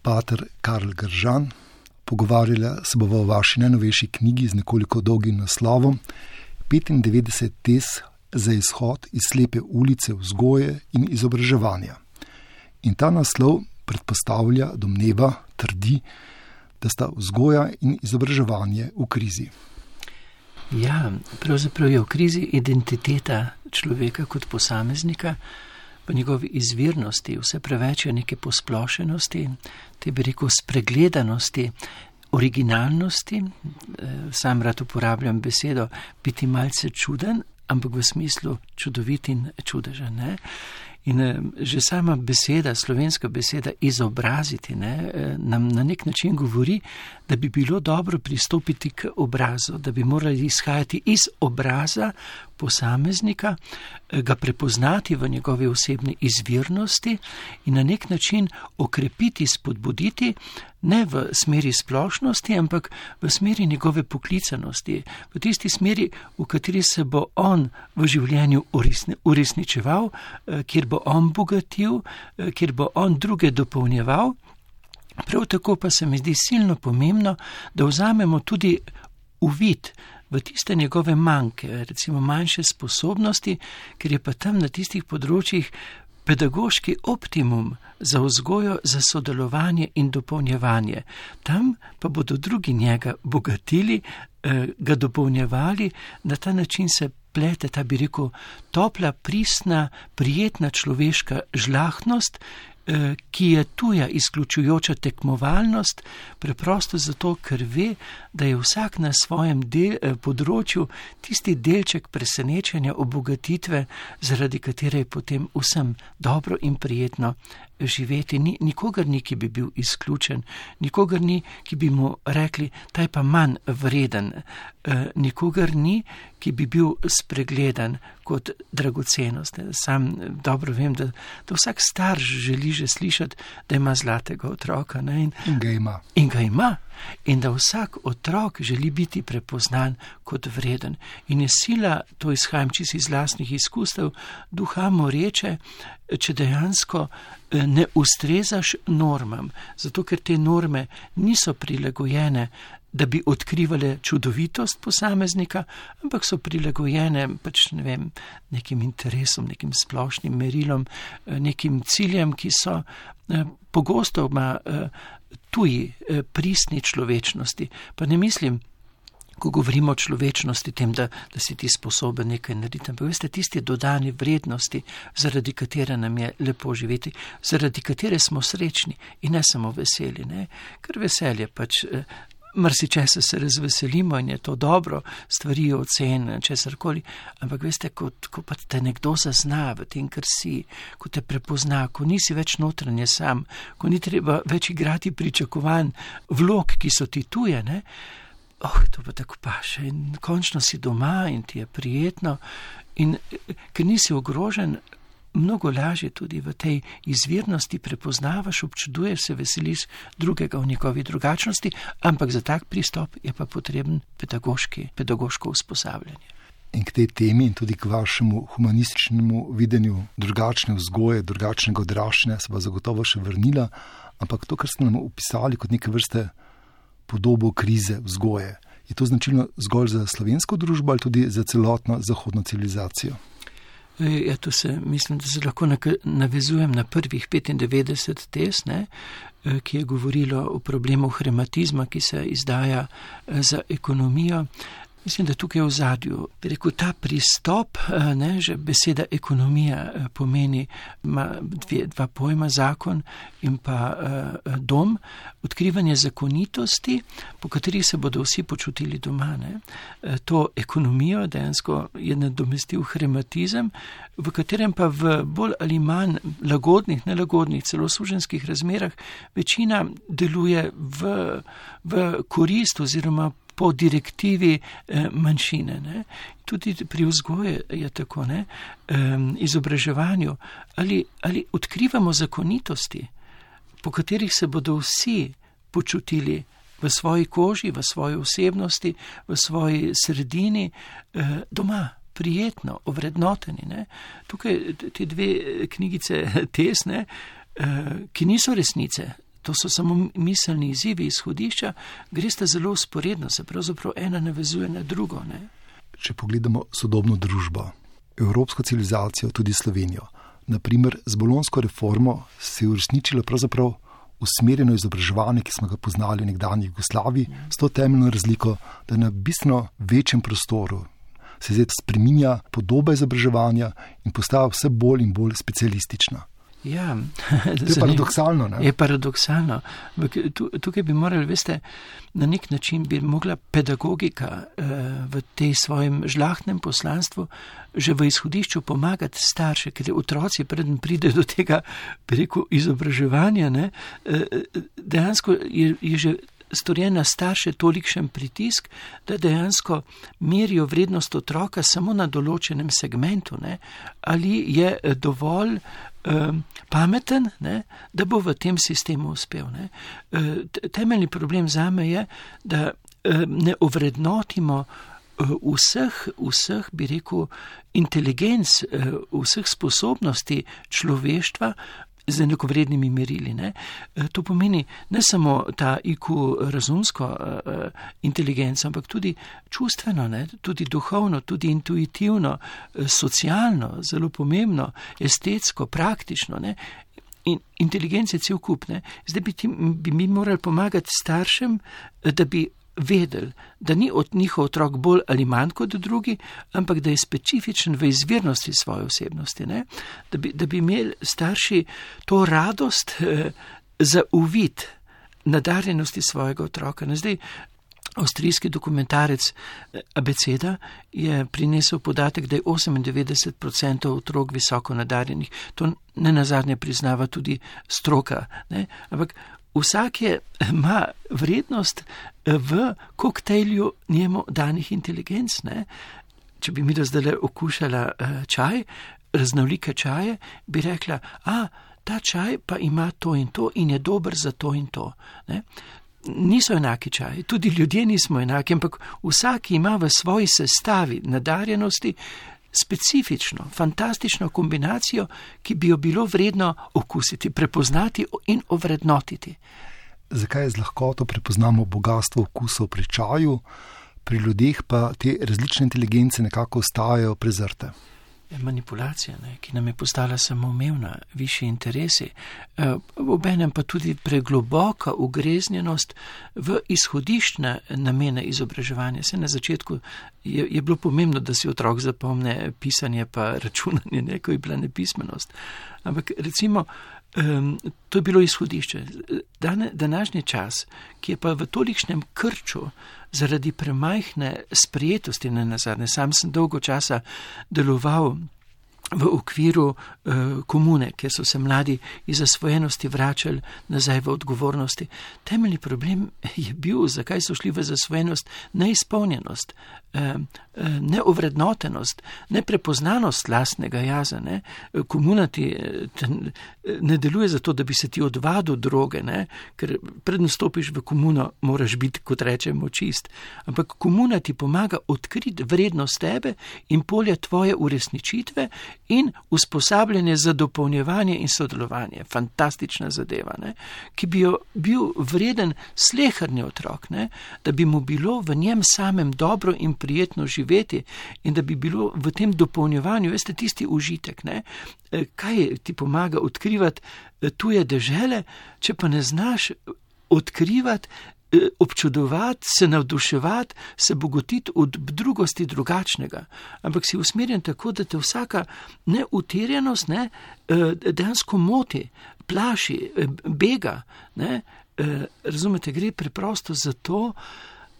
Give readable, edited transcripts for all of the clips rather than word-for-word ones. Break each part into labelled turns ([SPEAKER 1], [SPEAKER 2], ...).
[SPEAKER 1] pater Karl Gržan. Pogovarjala se bova o vaši najnovejši knjigi z nekoliko dolgim naslovom 95 tez za izhod iz slepe ulice vzgoje in izobraževanja. In ta naslov predpostavlja, domneva, trdi, da sta vzgoja in izobraževanje v krizi.
[SPEAKER 2] Ja, pravzaprav je v krizi identiteta človeka kot posameznika, v njegovi izvirnosti, vse preveč je neke posplošenosti, te bi rekel spregledanosti, originalnosti, sam rad uporabljam besedo biti malce čuden, ampak v smislu čudovit in čudežen, ne? In že sama beseda, slovenska beseda izobraziti, nam na nek način govori, da bi bilo dobro pristopiti k obrazu, da bi morali izhajati iz obraza posameznika, ga prepoznati v njegovi osebni izvirnosti in na nek način okrepiti, spodbuditi, ne v smeri splošnosti, ampak v smeri njegove poklicanosti, v tisti smeri, v kateri se bo on v življenju uresničeval, kjer bo on bogatil, kjer bo on druge dopolnjeval. Prav tako pa se mi zdi silno pomembno, da vzamemo tudi uvid v tiste njegove manjke, recimo manjše sposobnosti, ker je pa tam na tistih področjih pedagoški optimum za vzgojo, za sodelovanje in dopolnjevanje. Tam pa bodo drugi njega bogatili, ga dopolnjevali, na ta način se plete ta, bi rekel, topla, pristna, prijetna človeška žlahtnost, ki je tuja izključujoča tekmovalnost, preprosto zato, ker ve, da je vsak na svojem področju tisti delček presenečenja, obogatitve, zaradi katere je potem vsem dobro in prijetno živeti. Nikogar ni, ki bi bil izključen, nikogar ni, ki bi mu rekli, ta je pa manj vreden, nikogar ni, ki bi bil spregledan kot dragocenost. Sam dobro vem, da vsak starš želi že slišati, da ima zlatega otroka. In
[SPEAKER 1] ga ima.
[SPEAKER 2] In ga ima. In da vsak otrok želi biti prepoznan kot vreden. In je sila, to izhajam čisto iz lastnih izkustev, duha moreče, če dejansko ne ustrezaš normam, zato ker te norme niso prilagojene, da bi odkrivale čudovitost posameznika, ampak so prilagojene nekim interesom, nekim splošnim merilom, nekim ciljem, ki so pogosto tuji, pristni človečnosti. Pa ne mislim, ko govorimo o človečnosti, tem, da si ti sposoben nekaj narediti, ampak veste, tisti dodani vrednosti, zaradi katere nam je lepo živeti, zaradi katere smo srečni in ne samo veseli, ne? Ker veselje pač marsičesa se razveselimo in je to dobro, stvari ocen, česarkoli, ampak veste, ko pa te nekdo zazna v tem, kar si, ko te prepozna, ko nisi več notranje sam, ko ni treba več igrati pričakovanj, vlog, ki so ti tuje, ne? To pa tako paše in končno si doma in ti je prijetno in ker nisi ogrožen, mnogo lažje tudi v tej izvirnosti prepoznavaš, občuduješ se, veseliš drugega v njegovi drugačnosti, ampak za tak pristop je pa potreben pedagoško usposabljanje.
[SPEAKER 1] In k tej temi in tudi k vašemu humanističnemu videnju drugačne vzgoje, drugačnega odraščanja se bo zagotovo še vrnila, ampak to, kar ste nam opisali kot neke vrste podobo krize vzgoje, je to značilno zgolj za slovensko družbo ali tudi za celotno zahodno civilizacijo?
[SPEAKER 2] Ja, tu mislim, da se lahko navezujem na prvih 95 tez, ki je govorilo o problemu hrematizma, ki se izdaja za ekonomijo. Mislim, da tukaj v zadju, bi rekel, ta pristop, že beseda ekonomija pomeni, ima dva pojma, zakon in pa dom, odkrivanje zakonitosti, po katerih se bodo vsi počutili doma. To ekonomijo dejansko je nadomestil hrematizem, v katerem pa v bolj ali manj lagodnih, nelagodnih, celo suženjskih razmerah večina deluje v korist oziroma po direktivi manjšine. Tudi pri vzgoji je tako, izobraževanju. Ali odkrivamo zakonitosti, po katerih se bodo vsi počutili v svoji koži, v svoji osebnosti, v svoji sredini doma, prijetno, ovrednoteni. Tukaj te dve knjigice tesne, ki niso resnice, to so samo miselni izzivi izhodišča, greste zelo usporedno, se pravzaprav ena navezuje na drugo. Ne?
[SPEAKER 1] Če pogledamo sodobno družbo, evropsko civilizacijo, tudi Slovenijo, naprimer z bolonjsko reformo se je uresničilo pravzaprav usmerjeno izobraževanje, ki smo ga poznali v nekdanji Jugoslaviji, s to temeljno razliko, da na bistveno večjem prostoru se zdaj spreminja podoba izobraževanja in postaja vse bolj in bolj specialistična.
[SPEAKER 2] Ja,
[SPEAKER 1] to je paradoksalno. Ne?
[SPEAKER 2] Je paradoksalno. Tukaj bi morali, veste, na nek način bi mogla pedagogika v tej svojem žlahtnem poslanstvu že v izhodišču pomagati starše, ker otroci preden pride do tega, bi rekel, izobraževanja, ne, dejansko je že storjen na starše tolikšen pritisk, da dejansko merijo vrednost otroka samo na določenem segmentu, ne, ali je dovolj pameten, ne, da bo v tem sistemu uspel. Ne. Temeljni problem zame je, da ne ovrednotimo vseh, bi rekel, inteligenc, vseh sposobnosti človeštva z enakovrednimi merili. Ne. To pomeni ne samo ta IQ razumsko inteligenco, ampak tudi čustveno, ne, tudi duhovno, tudi intuitivno, socialno, zelo pomembno, estetsko, praktično. Ne. In inteligence cel kup. Ne. Zdaj bi mi morali pomagati staršem, da bi vedeli, da ni od njihov otrok bolj ali manj kot drugi, ampak da je specifičen v izvirnosti svoje osebnosti. Ne? Da bi imeli starši to radost za uvid nadarjenosti svojega otroka. Zdaj, avstrijski dokumentarec Abeceda je prinesel podatek, da je 98% otrok visoko nadarjenih. To ne nazadnje priznava tudi stroka. Ne? Ampak vsak ima vrednost v koktejlju njemu danih inteligenc. Ne? Če bi mi zdaj okušala čaj, raznolike čaje, bi rekla, ta čaj pa ima to in je dober za to in to. Ne? Niso enaki čaji, tudi ljudje nismo enaki, ampak vsak ima v svoji sestavi nadarjenosti specifično, fantastično kombinacijo, ki bi jo bilo vredno okusiti, prepoznati in ovrednotiti.
[SPEAKER 1] Zakaj z lahkoto prepoznamo bogatstvo okusov pri čaju, pri ljudeh pa te različne inteligence nekako ostajajo prezrte?
[SPEAKER 2] Manipulacija, ne, ki nam je postala samoumevna, višji interesi, obenem pa tudi pregloboka ugreznjenost v izhodiščne namene izobraževanja. Se na začetku je bilo pomembno, da si otrok zapomne pisanje pa računanje, ne, ko je bila nepismenost. Ampak recimo, to je bilo izhodišče. Današnji čas, ki je pa v tolikšnem krču zaradi premajhne sprejetosti nenazadnje. Sam sem dolgo časa deloval v okviru komune, kjer so se mladi iz zasvojenosti vračali nazaj v odgovornosti. Temeljni problem je bil, zakaj so šli v zasvojenost, neizpolnjenost, neovrednotenost, neprepoznanost lastnega jaza. Ne? Komuna ti ne deluje zato, da bi se ti odvadil droge, ne? Ker predn stopiš v komuno, moraš biti, kot rečemo, čist. Ampak komuna ti pomaga odkriti vrednost tebe in polje tvoje uresničitve in usposabljanje za dopolnjevanje in sodelovanje. Fantastična zadeva, ne? Ki bi jo bil vreden sleherni otrok, ne? Da bi mu bilo v njem samem dobro in prijetno živeti in da bi bilo v tem dopolnjevanju, veste, tisti užitek, ne? Kaj ti pomaga odkrivati tuje dežele, če pa ne znaš odkrivati, občudovati, se navduševati, se bogotiti od drugosti drugačnega. Ampak si usmerjen tako, da te vsaka neutirjenost, ne, dejansko moti, plaši, bega. Ne. Razumete, gre preprosto za to,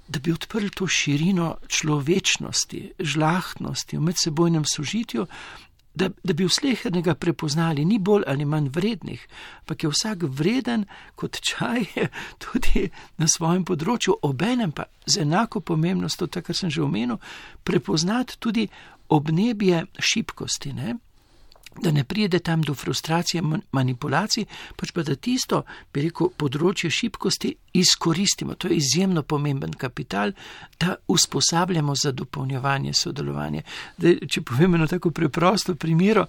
[SPEAKER 2] da bi odprli to širino človečnosti, žlahtnosti v medsebojnem sožitju, da bi vslehernega prepoznali, ni bolj ali manj vrednih, ampak je vsak vreden kot čaj tudi na svojem področju, obenem pa z enako pomembnostjo, tako kar sem že omenil, prepoznati tudi obnebje šibkosti, ne? Da ne pride tam do frustracije, manipulacij, pač pa da tisto, bi rekel, področje šibkosti izkoristimo. To je izjemno pomemben kapital, da usposabljamo za dopolnjevanje, sodelovanje. Da, če povem eno tako preprosto primero,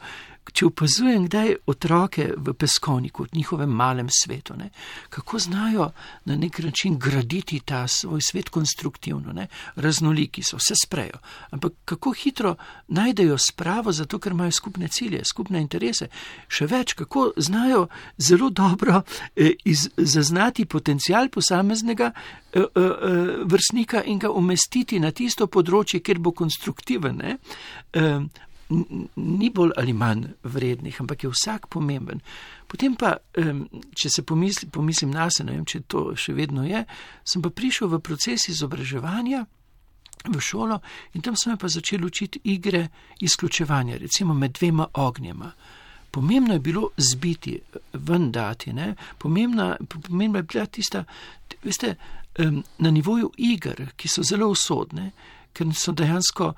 [SPEAKER 2] če opazujem kdaj otroke v peskovniku, v njihovem malem svetu, ne, kako znajo na nek način graditi ta svoj svet konstruktivno, ne, raznoliki so, vse sprejo, ampak kako hitro najdejo spravo, zato ker imajo skupne cilje, skupne interese, še več, kako znajo zelo dobro zaznati potencial posameznega vrstnika in ga umestiti na tisto področje, kjer bo konstruktiven, ne. Ni bolj ali manj vrednih, ampak je vsak pomemben. Potem pa, če se pomislim nase, ne vem, če to še vedno je, sem pa prišel v proces izobraževanja v šolo in tam sem pa začel učiti igre izključevanja, recimo med dvema ognjema. Pomembno je bilo zbiti, ven dati, ne? Pomembna je bila tista, veste, na nivoju iger, ki so zelo usodne, ker so dejansko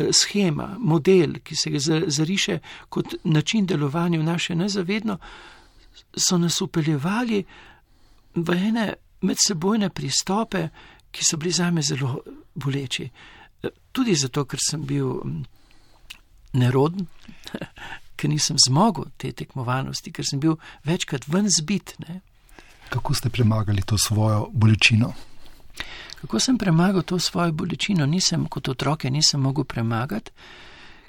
[SPEAKER 2] schema, model, ki se ga zariše kot način delovanja v naše nezavedno, so nas upeljevali v ene medsebojne pristope, ki so bili zame zelo boleči. Tudi zato, ker sem bil neroden, ker nisem zmogel te tekmovanosti, ker sem bil večkrat ven zbit. Ne?
[SPEAKER 1] Kako ste premagali to svojo bolečino?
[SPEAKER 2] Kako sem premagal to svojo bolečino? Kot otroke nisem mogel premagati,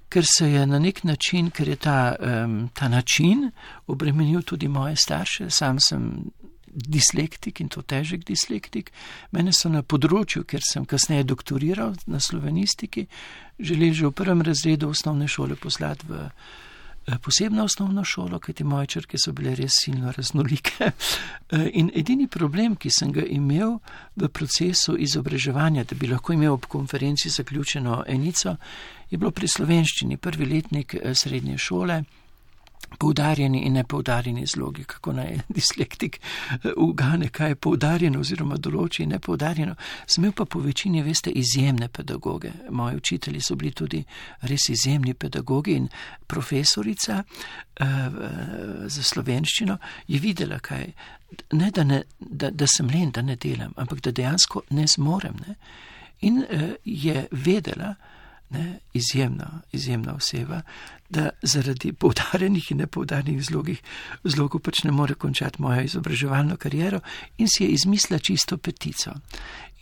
[SPEAKER 2] ker se je na nek način, ker je ta način obremenil tudi moje starše. Sam sem dislektik in to težek dislektik. Mene so na področju, ker sem kasneje doktoriral na slovenistiki, želeli že v 1. razredu osnovne šole poslati v posebno osnovno šolo, kajti moje črke so bile res silno raznolike. In edini problem, ki sem ga imel v procesu izobraževanja, da bi lahko imel ob konferenci zaključeno enico, je bilo pri slovenščini, 1. letnik srednje šole, poudarjeni in nepoudarjeni zlogi, kako naj dislektik ugane, kaj je poudarjeno oziroma določi nepoudarjeno. Sem imel pa po večini, veste, izjemne pedagoge. Moji učitelji so bili tudi res izjemni pedagogi in profesorica za slovenščino je videla, kaj, ne da sem len, da ne delam, ampak da dejansko ne zmorem. Ne? In je vedela, ne, izjemna oseba, da zaradi poudarjenih in nepoudarjenih zlogov pač ne more končati mojo izobraževalno kariero in si je izmislila čisto petico.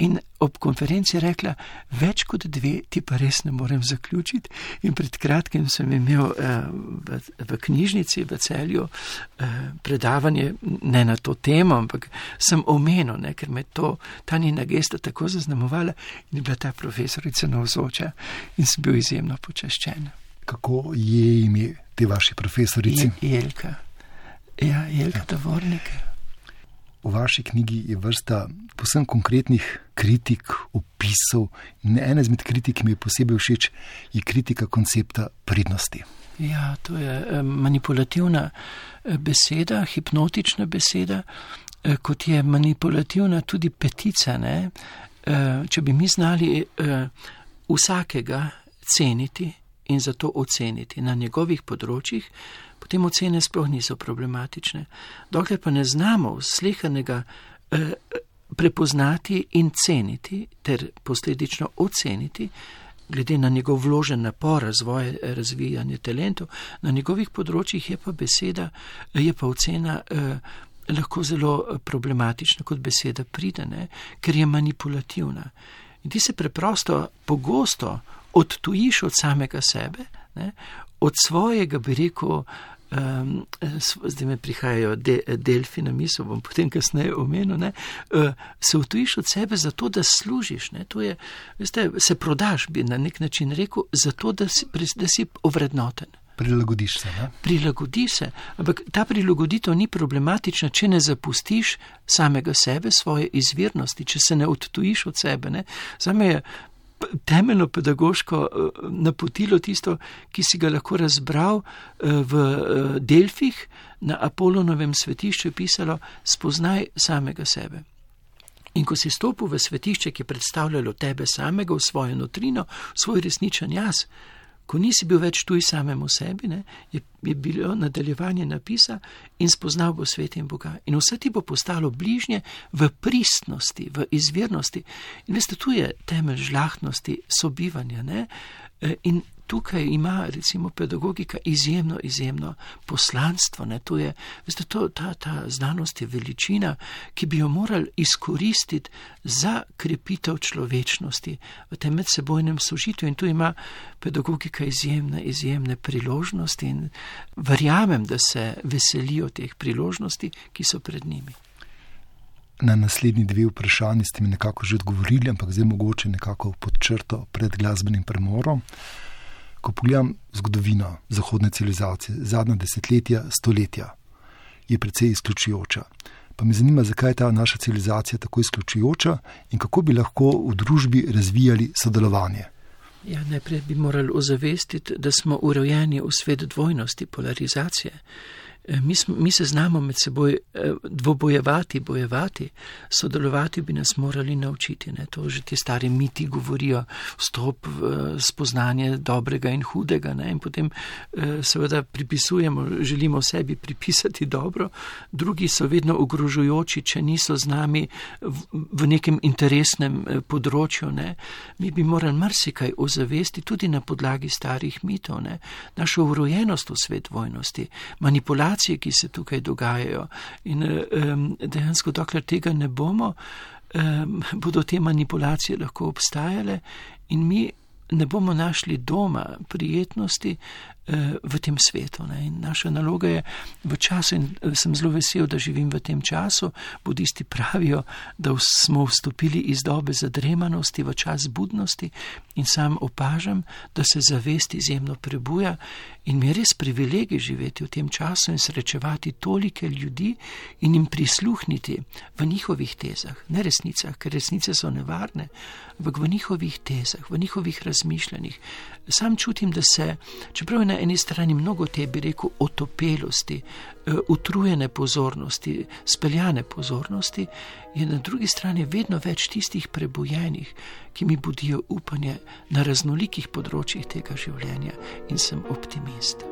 [SPEAKER 2] In ob konferenci rekla, več kot 2 ti pa res ne morem zaključiti. In pred kratkim sem imel v knjižnici v Celju predavanje, ne na to temo, ampak sem omenil, ne, ker me ta njena gesta tako zaznamovala in je bila ta profesorica navzoča in sem bil izjemno počaščen.
[SPEAKER 1] Kako je ime te vaši profesorici?
[SPEAKER 2] Jelka. Ja, Jelka Tavornik.
[SPEAKER 1] V vaši knjigi je vrsta povsem konkretnih kritik, opisov in ena izmed kritik, ki mi je posebej všeč, je kritika koncepta pridnosti.
[SPEAKER 2] Ja, to je manipulativna beseda, hipnotična beseda, kot je manipulativna tudi petica, ne? Če bi mi znali vsakega ceniti in zato oceniti na njegovih področjih, potem ocene sploh niso problematične. Dokler pa ne znamo slehernega prepoznati in ceniti ter posledično oceniti, glede na njegov vložen napor, razvoj, razvijanje talentov, na njegovih področjih je pa ocena lahko zelo problematična kot beseda pridene, ker je manipulativna. In ti se preprosto pogosto odtujiš od samega sebe, ne, od svojega, bi rekel, zdaj me prihajajo delfi na misel, bom potem kasneje omenil, ne, se odtujiš od sebe zato, da služiš, ne, to je, veste, se prodaš, bi na nek način rekel, zato, da si ovrednoten.
[SPEAKER 1] Prilagodiš se, ne?
[SPEAKER 2] Prilagodiš se, ampak ta prilagoditev ni problematična, če ne zapustiš samega sebe, svoje izvirnosti, če se ne odtujiš od sebe, ne. Zame je temeljno pedagoško napotilo tisto, ki si ga lahko razbral v Delfih, na Apolonovem svetišču je pisalo, spoznaj samega sebe. In ko si stopil v svetišče, ki je predstavljalo tebe samega, v svojo notrino, v svoj resničen jaz, ko nisi bil več tuj samemu sebi, ne, je bilo nadaljevanje napisa in spoznal bo svet in Boga. In vse ti bo postalo bližnje v pristnosti, v izvirnosti. In veste, tu je temelj žlahtnosti sobivanja, ne, in tukaj ima recimo pedagogika izjemno poslanstvo. Ne? To je, veste, ta znanost je veličina, ki bi jo morali izkoristiti za krepitev človečnosti v tem medsebojnem sožitju, in tu ima pedagogika izjemne priložnosti in verjamem, da se veselijo teh priložnosti, ki so pred njimi.
[SPEAKER 1] Na naslednji 2 vprašanji ste mi nekako že odgovorili, ampak zdaj mogoče nekako pod črto pred glasbenim premorom. Ko pogledam zgodovino zahodne civilizacije, zadnja desetletja, stoletja, je precej izključujoča. Pa me zanima, zakaj je ta naša civilizacija tako izključujoča in kako bi lahko v družbi razvijali sodelovanje.
[SPEAKER 2] Ja, najprej bi morali ozavestiti, da smo urojeni v svet dvojnosti, polarizacije. Mi se znamo med seboj bojevati, sodelovati bi nas morali naučiti. Ne? To že ti stari miti govorijo, vstop v spoznanje dobrega in hudega. Ne? In potem seveda želimo sebi pripisati dobro, drugi so vedno ogrožujoči, če niso z nami v nekem interesnem področju. Ne? Mi bi morali marsikaj ozavesti tudi na podlagi starih mitov. Ne? Našo urojenost v svet dvojnosti, manipulacije, ki se tukaj dogajajo. In dejansko, dokler tega ne bomo, bodo te manipulacije lahko obstajale in mi ne bomo našli doma, prijetnosti v tem svetu. Ne? In naša naloga je v času, in sem zelo vesel, da živim v tem času, budisti pravijo, da smo vstopili iz dobe zadremanosti v čas budnosti, in sam opažam, da se zavest izjemno prebuja in mi je res privilegij živeti v tem času in srečevati tolike ljudi in jim prisluhniti v njihovih tezah, ne resnicah, ker resnice so nevarne, ampak v njihovih tezah, v njihovih razmišljanjih. Sam čutim, da se, čeprav je na eni strani mnogo te, bi rekel, otopelosti, utrujene pozornosti, speljane pozornosti, je na drugi strani vedno več tistih prebujenih, ki mi budijo upanje na raznolikih področjih tega življenja, in sem optimist.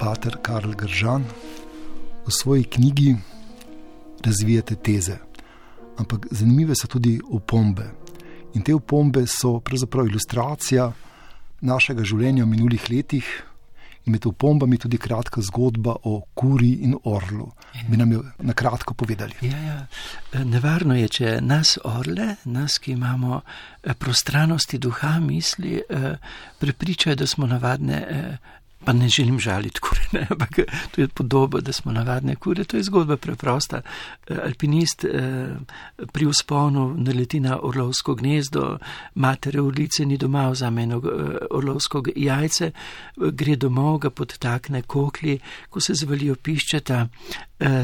[SPEAKER 1] Pater Karl Gržan, v svoji knjigi razvijate teze, ampak zanimive so tudi opombe. In te opombe so pravzaprav ilustracija našega življenja v minulih letih in med opombami tudi kratka zgodba o kuri in orlu. Bi nam jo na kratko povedali.
[SPEAKER 2] Ja. Nevarno je, če nas orle, nas, ki imamo prostranosti duha, misli, prepričajo, da smo navadne, pa ne želim žaliti kure, ampak to je podoba, da smo navadne kure. To je zgodba preprosta. Alpinist pri vzponu naleti na orlovsko gnezdo, matere orlice ni doma, vzame eno orlovsko jajce, gre domov, ga podtakne kokli, ko se zvalijo piščeta,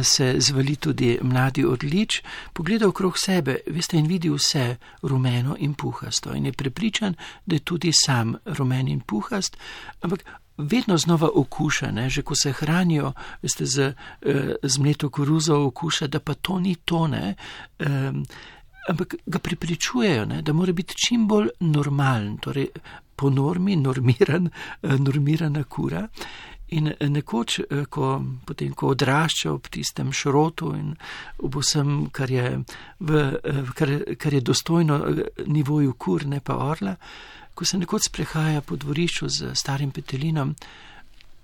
[SPEAKER 2] se zvali tudi mladi orlič, pogleda okrog sebe, veste, in vidi vse rumeno in puhasto in je prepričan, da je tudi sam rumen in puhast, ampak vedno znova okuša, ne? Že ko se hranijo, veste, z mleto koruzo okuša, da pa to ni to, ne? Ampak ga prepričujejo, ne? Da mora biti čim bolj normalen, torej po normi normirana kura. In nekoč, potem, ko odrašča ob tistem šrotu in ob vsem, kar je dostojno nivoju kur, ne pa orla, ko se nekoč sprehaja po dvorišču z starim petelinom,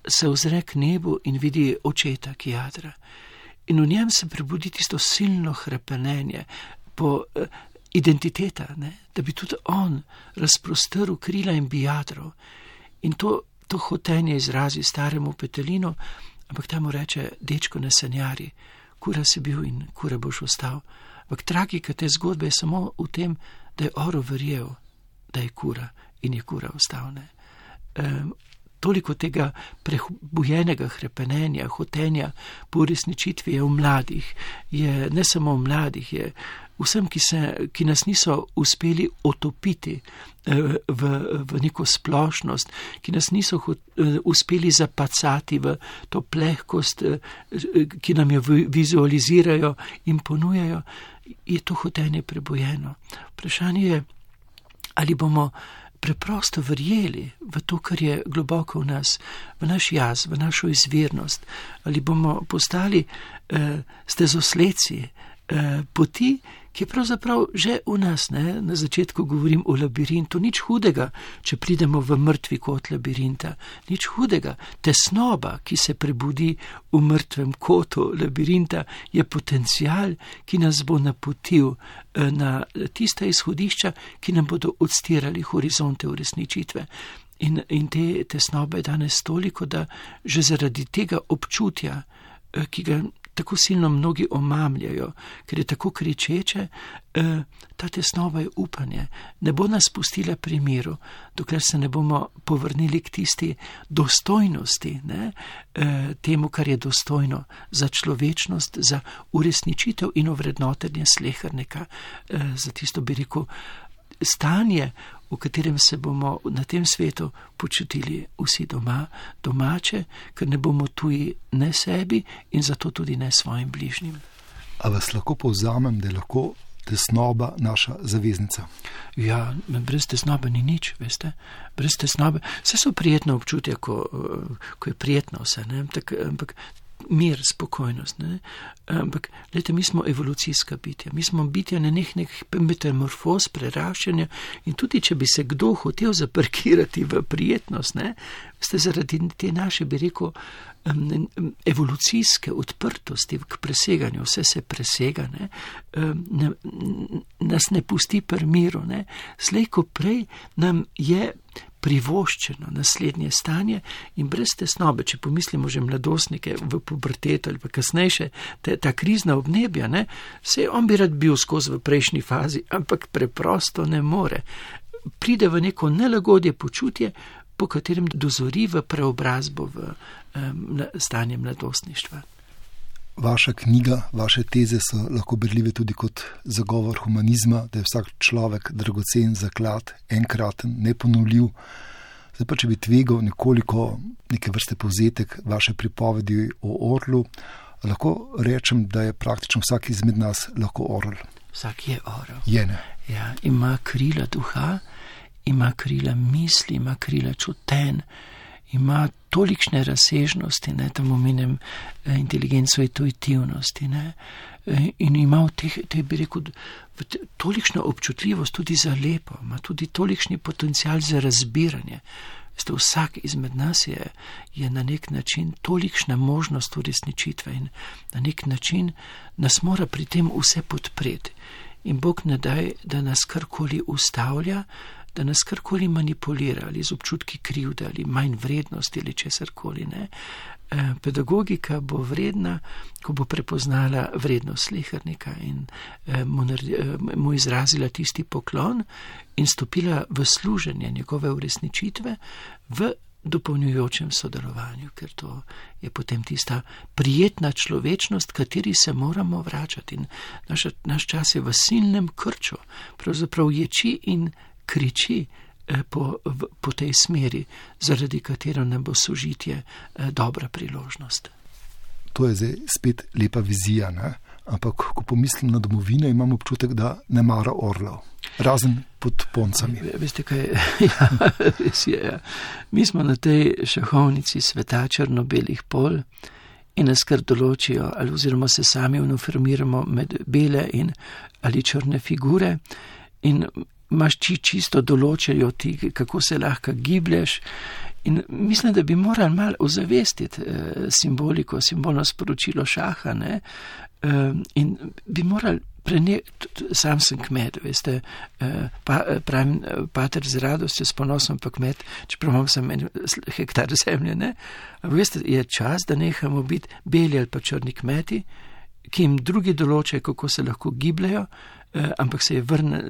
[SPEAKER 2] se ozre k nebu in vidi očeta, ki jadra. In v njem se prebudi tisto silno hrepenenje po identiteta, ne? Da bi tudi on razprostrl krila in bi jadral. In to hotenje izrazi staremu petelinu, ampak ta mu reče, dečko, ne sanjari, kura si bil in kura boš ostal. Ampak tragika te zgodbe je samo v tem, da je orel verjel, da je kura in je kura ostal. Toliko tega prebujenega hrepenenja, hotenja po uresničitvi je v mladih, je ne samo v mladih, je vsem, ki nas niso uspeli otopiti v neko splošnost, ki nas niso uspeli zapacati v to plehkost, ki nam jo vizualizirajo in ponujajo, je to hotenje prebujeno. Vprašanje je, ali bomo preprosto verjeli v to, kar je globoko v nas, v naš jaz, v našo izvirnost, ali bomo postali stezosledci poti, ki je pravzaprav že v nas, ne? Na začetku govorim o labirintu, nič hudega, če pridemo v mrtvi kot labirinta, nič hudega, tesnoba, ki se prebudi v mrtvem kotu labirinta, je potencial, ki nas bo napotil na tista izhodišča, ki nam bodo odstirali horizonte uresničitve. In te tesnobe je danes toliko, da že zaradi tega občutja, ki ga tako silno mnogi omamljajo, ker je tako kričeče, ta tesnova je upanje. Ne bo nas pustila pri miru, dokler se ne bomo povrnili k tisti dostojnosti, ne? Temu, kar je dostojno za človečnost, za uresničitev in ovrednotenje slehernika, za tisto, bi rekel, stanje, v katerem se bomo na tem svetu počutili vsi domače, ker ne bomo tuji ne sebi in zato tudi ne svojim bližnjim.
[SPEAKER 1] A vas lahko povzamem, da je lahko tesnoba naša zaveznica?
[SPEAKER 2] Ja, brez tesnobe ni nič, veste. Brez tesnobe. Vse so prijetno občutje, ko je prijetno vse, ne? Ampak mir, spokojnost, ne? Ampak, gledajte, mi smo evolucijska bitja. Mi smo bitja nenehnih metamorfoz, preraščanja in tudi, če bi se kdo hotel zaparkirati v prijetnost, ne? Ste zaradi te naše, bi rekel, evolucijske odprtosti k preseganju, vse se presega, ne? Nas ne pusti pri miru, ne? Slej ko prej nam je privoščeno naslednje stanje in brez tesnobe, če pomislimo že mladostnike v pubertetu ali pa kasnejše, ta krizna obnebja, ne, se on bi rad bil skozi v prejšnji fazi, ampak preprosto ne more. Pride v neko nelagodje počutje, po katerem dozori v preobrazbo v stanje mladostništva.
[SPEAKER 1] Vaša knjiga, vaše teze so lahko berljive tudi kot zagovor humanizma, da je vsak človek dragocen zaklad, enkraten, neponovljiv. Zdaj pa, če bi tvegal nekoliko neke vrste povzetek vaše pripovedi o orlu, lahko rečem, da je praktično vsak izmed nas lahko orel.
[SPEAKER 2] Vsak je orel.
[SPEAKER 1] Je, ne?
[SPEAKER 2] Ja, ima krila duha, ima krila misli, ima krila čuten, ima tolikšne razsežnosti, ne, tam omenem inteligenco intuitivnosti, ne, in ima v teh, bi rekel, tolikšno občutljivost tudi za lepo, ima tudi tolikšni potencial za razbiranje. Vsak izmed nas je na nek način tolikšna možnost uresničitve in na nek način nas mora pri tem vse podpreti. In Bog ne daj, da nas karkoli ustavlja, da nas karkoli manipulira ali z občutki krivde ali manj vrednosti ali česarkoli, ne. Pedagogika bo vredna, ko bo prepoznala vrednost slehernika in mu izrazila tisti poklon in stopila v služenje njegove uresničitve v dopolnjujočem sodelovanju, ker to je potem tista prijetna človečnost, kateri se moramo vračati. In naš čas je v silnem krču, pravzaprav ječi in kriči po tej smeri, zaradi katero nam bo sožitje dobra priložnost.
[SPEAKER 1] To je zdaj spet lepa vizija, ne? ampak ko pomislim na domovino, imam občutek, da ne mara orlov. Razen pod Poncami.
[SPEAKER 2] Veste kaj, ja, res je, ja. Mi smo na tej šahovnici sveta črno-belih pol in nas kar določijo, oziroma se sami uniformiramo med bele in ali črne figure in imaš čisto določajo ti, kako se lahko giblješ. In mislim, da bi morali malo ozavestiti simboliko, simbolno sporočilo šaha, ne? In bi morali sam sem kmet, veste, pravim, pater z radostjo, s ponosom pa kmet, čeprav imam samo 1 hektar zemlje, ne? Ampak veste, je čas, da nehamo biti beli ali pa črni kmeti, ki jim drugi določajo, kako se lahko gibljajo, ampak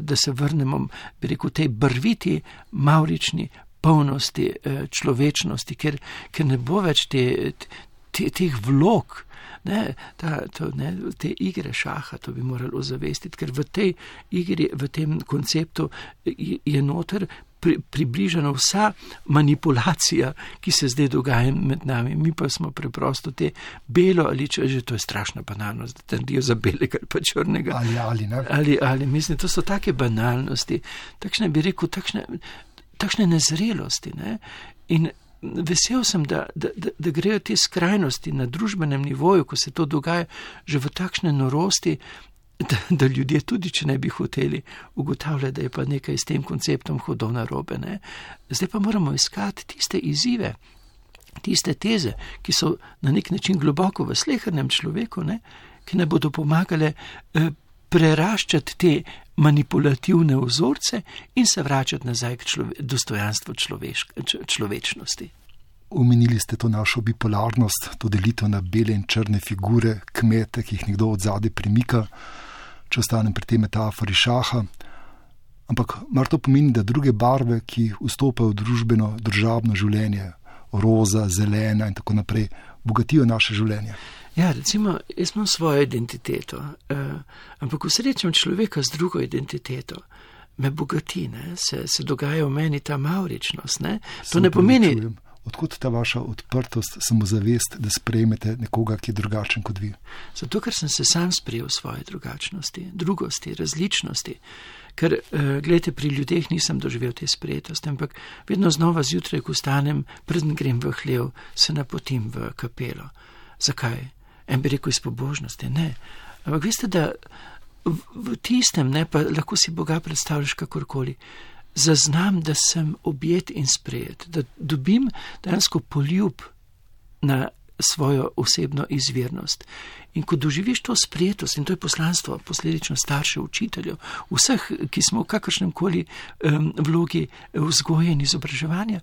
[SPEAKER 2] da se vrnemo, bi rekel, tej barviti, mavrični polnosti, človečnosti, ker ne bo več teh vlog, te igre šaha, to bi morali ozavestiti, ker v tej igri, v tem konceptu je noter približana vsa manipulacija, ki se zdaj dogaja med nami. Mi pa smo preprosto te belo ali že to je strašna banalnost, da trdijo za belega ali pa črnega. Ali, mislim, to so take banalnosti, takšne, bi rekel, takšne nezrelosti, ne? In vesel sem, da grejo te skrajnosti na družbenem nivoju, ko se to dogaja, že v takšne norosti, da ljudje tudi, če ne bi hoteli, ugotavljajo, da je pa nekaj s tem konceptom hodov narobe, ne? Zdaj pa moramo iskati tiste izzive, tiste teze, ki so na nek način globoko v slehernem človeku, ne? Ki ne bodo pomagale preraščati te manipulativne vzorce in se vračati nazaj k dostojanstvu človečnosti.
[SPEAKER 1] Omenili ste to našo bipolarnost, to delitev na bele in črne figure, kmete, ki jih nekdo odzadaj premika, če ostanem pri tej metafori šaha. Ampak mar to pomeni, da druge barve, ki vstopajo v družbeno, državno življenje, roza, zelena in tako naprej, bogatijo naše življenje?
[SPEAKER 2] Ja, recimo, jaz imam svojo identiteto, ampak ko srečam človeka z drugo identiteto, me bogati, ne? Se dogaja v meni ta mavričnost, ne? To ne pomeni...
[SPEAKER 1] Odkud ta vaša odprtost, samozavest, da sprejmete nekoga, ki je drugačen kot vi?
[SPEAKER 2] Zato, ker sem se sam sprejel svoje drugačnosti, drugosti, različnosti. Ker, gledajte, pri ljudeh nisem doživel te sprejetosti, ampak vedno znova zjutraj, ko stanem, preden grem v hlev, se napotim v kapelo. Zakaj? En bi rekel iz pobožnosti, ne. Ampak veste, da v tistem, ne, pa lahko si Boga predstavljaš kakorkoli, zaznam, da sem objet in sprejet, da dobim dejansko poljub na svojo osebno izvirnost. In ko doživiš to sprejetost, in to je poslanstvo posledično staršev, učiteljev, vseh, ki smo v kakršnemkoli vlogi vzgoje in izobraževanja,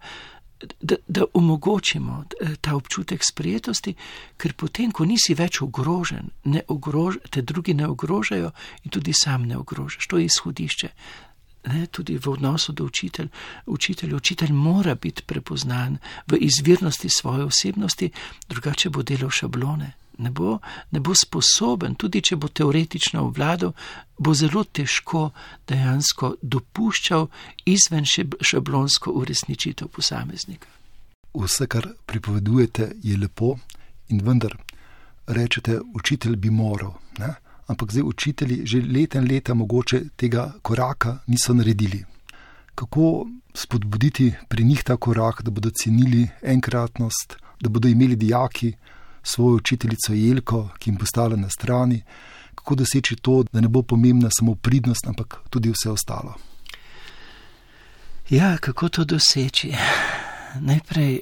[SPEAKER 2] da omogočimo ta občutek sprejetosti, ker potem, ko nisi več ogrožen, te drugi ne ogrožajo in tudi sam ne ogrožaš. To je izhodišče. Ne, tudi v odnosu do učitelja. Učitelj mora biti prepoznan v izvirnosti svoje osebnosti, drugače bo delal šablone. Ne bo sposoben, tudi če bo teoretično obvladal, bo zelo težko dejansko dopuščal izven šablonsko uresničitev posameznika.
[SPEAKER 1] Vse, kar pripovedujete, je lepo in vendar rečete, učitelj bi moral, ne? Ampak zdaj učitelji že leta in leta mogoče tega koraka niso naredili. Kako spodbuditi pri njih ta korak, da bodo cenili enkratnost, da bodo imeli dijaki svojo učiteljico Jelko, ki jim postala na strani, kako doseči to, da ne bo pomembna samo pridnost, ampak tudi vse ostalo?
[SPEAKER 2] Ja, kako to doseči? Najprej,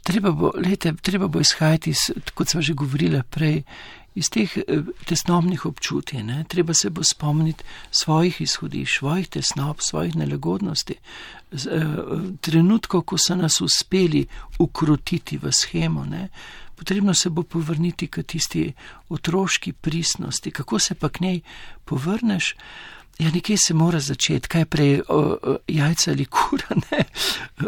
[SPEAKER 2] treba bo izhajati, kot sva že govorila prej, iz teh tesnobnih občutij, ne? Treba se bo spomniti svojih izhodišč, svojih tesnob, svojih nelagodnosti, trenutkov, ko so nas uspeli ukrotiti v shemo, ne? Potrebno se bo povrniti k tisti otroški pristnosti. Kako se pa k njej povrneš? Ja, nekje se mora začeti, kaj prej, jajca ali kura, ne.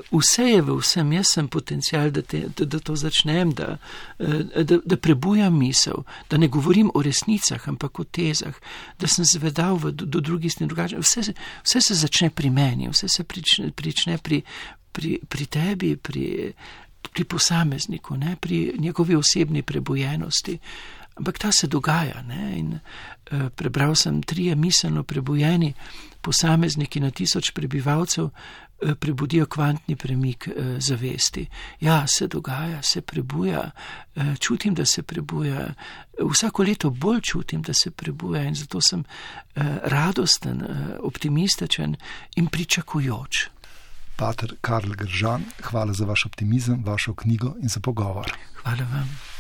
[SPEAKER 2] Vse je v vsem, jaz sem potencial, da to začnem, da prebujam misel, da ne govorim o resnicah, ampak o tezah, da sem zvedal do drugih in drugače. Vse se začne pri meni, vse se prične pri tebi, pri posamezniku, ne, pri njegovi osebni prebujenosti. Ampak ta se dogaja, ne? In prebral sem 3 miselno prebujeni posamezniki na 1000 prebivalcev prebudijo kvantni premik zavesti. Ja, se dogaja, se prebuja, čutim, da se prebuja, vsako leto bolj čutim, da se prebuja in zato sem radosten, optimističen in pričakujoč.
[SPEAKER 1] Pater Karl Gržan, hvala za vaš optimizem, vašo knjigo in za pogovor.
[SPEAKER 2] Hvala vam.